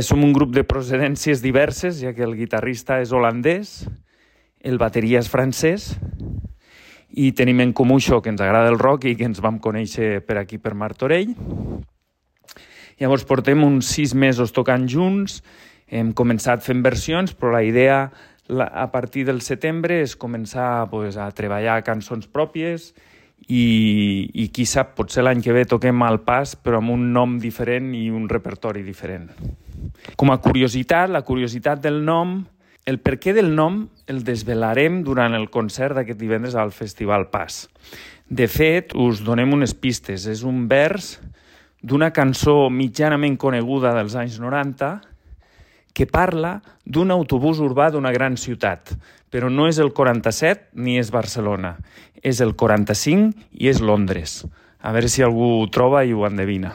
Som un grup de procedències diverses, ja que el guitarrista és holandès, el bateria és francès, i tenim en comú això, que ens agrada el rock i que ens vam conèixer per aquí, per Martorell. Llavors portem uns 6 mesos tocant junts, hem començat fent versions, però la idea a partir del setembre és començar a treballar cançons pròpies i qui sap, potser l'any que ve toquem al Pas, però amb un nom diferent i un repertori diferent. Com a curiositat, la curiositat del nom, el perquè del nom el desvelarem durant el concert d'aquest divendres al Festival Pas. De fet, us donem unes pistes. És un vers d'una cançó mitjanament coneguda dels anys 90 que parla d'un autobús urbà d'una gran ciutat, però no és el 47 ni és Barcelona, és el 45 i és Londres. A veure si algú ho troba i ho endevina.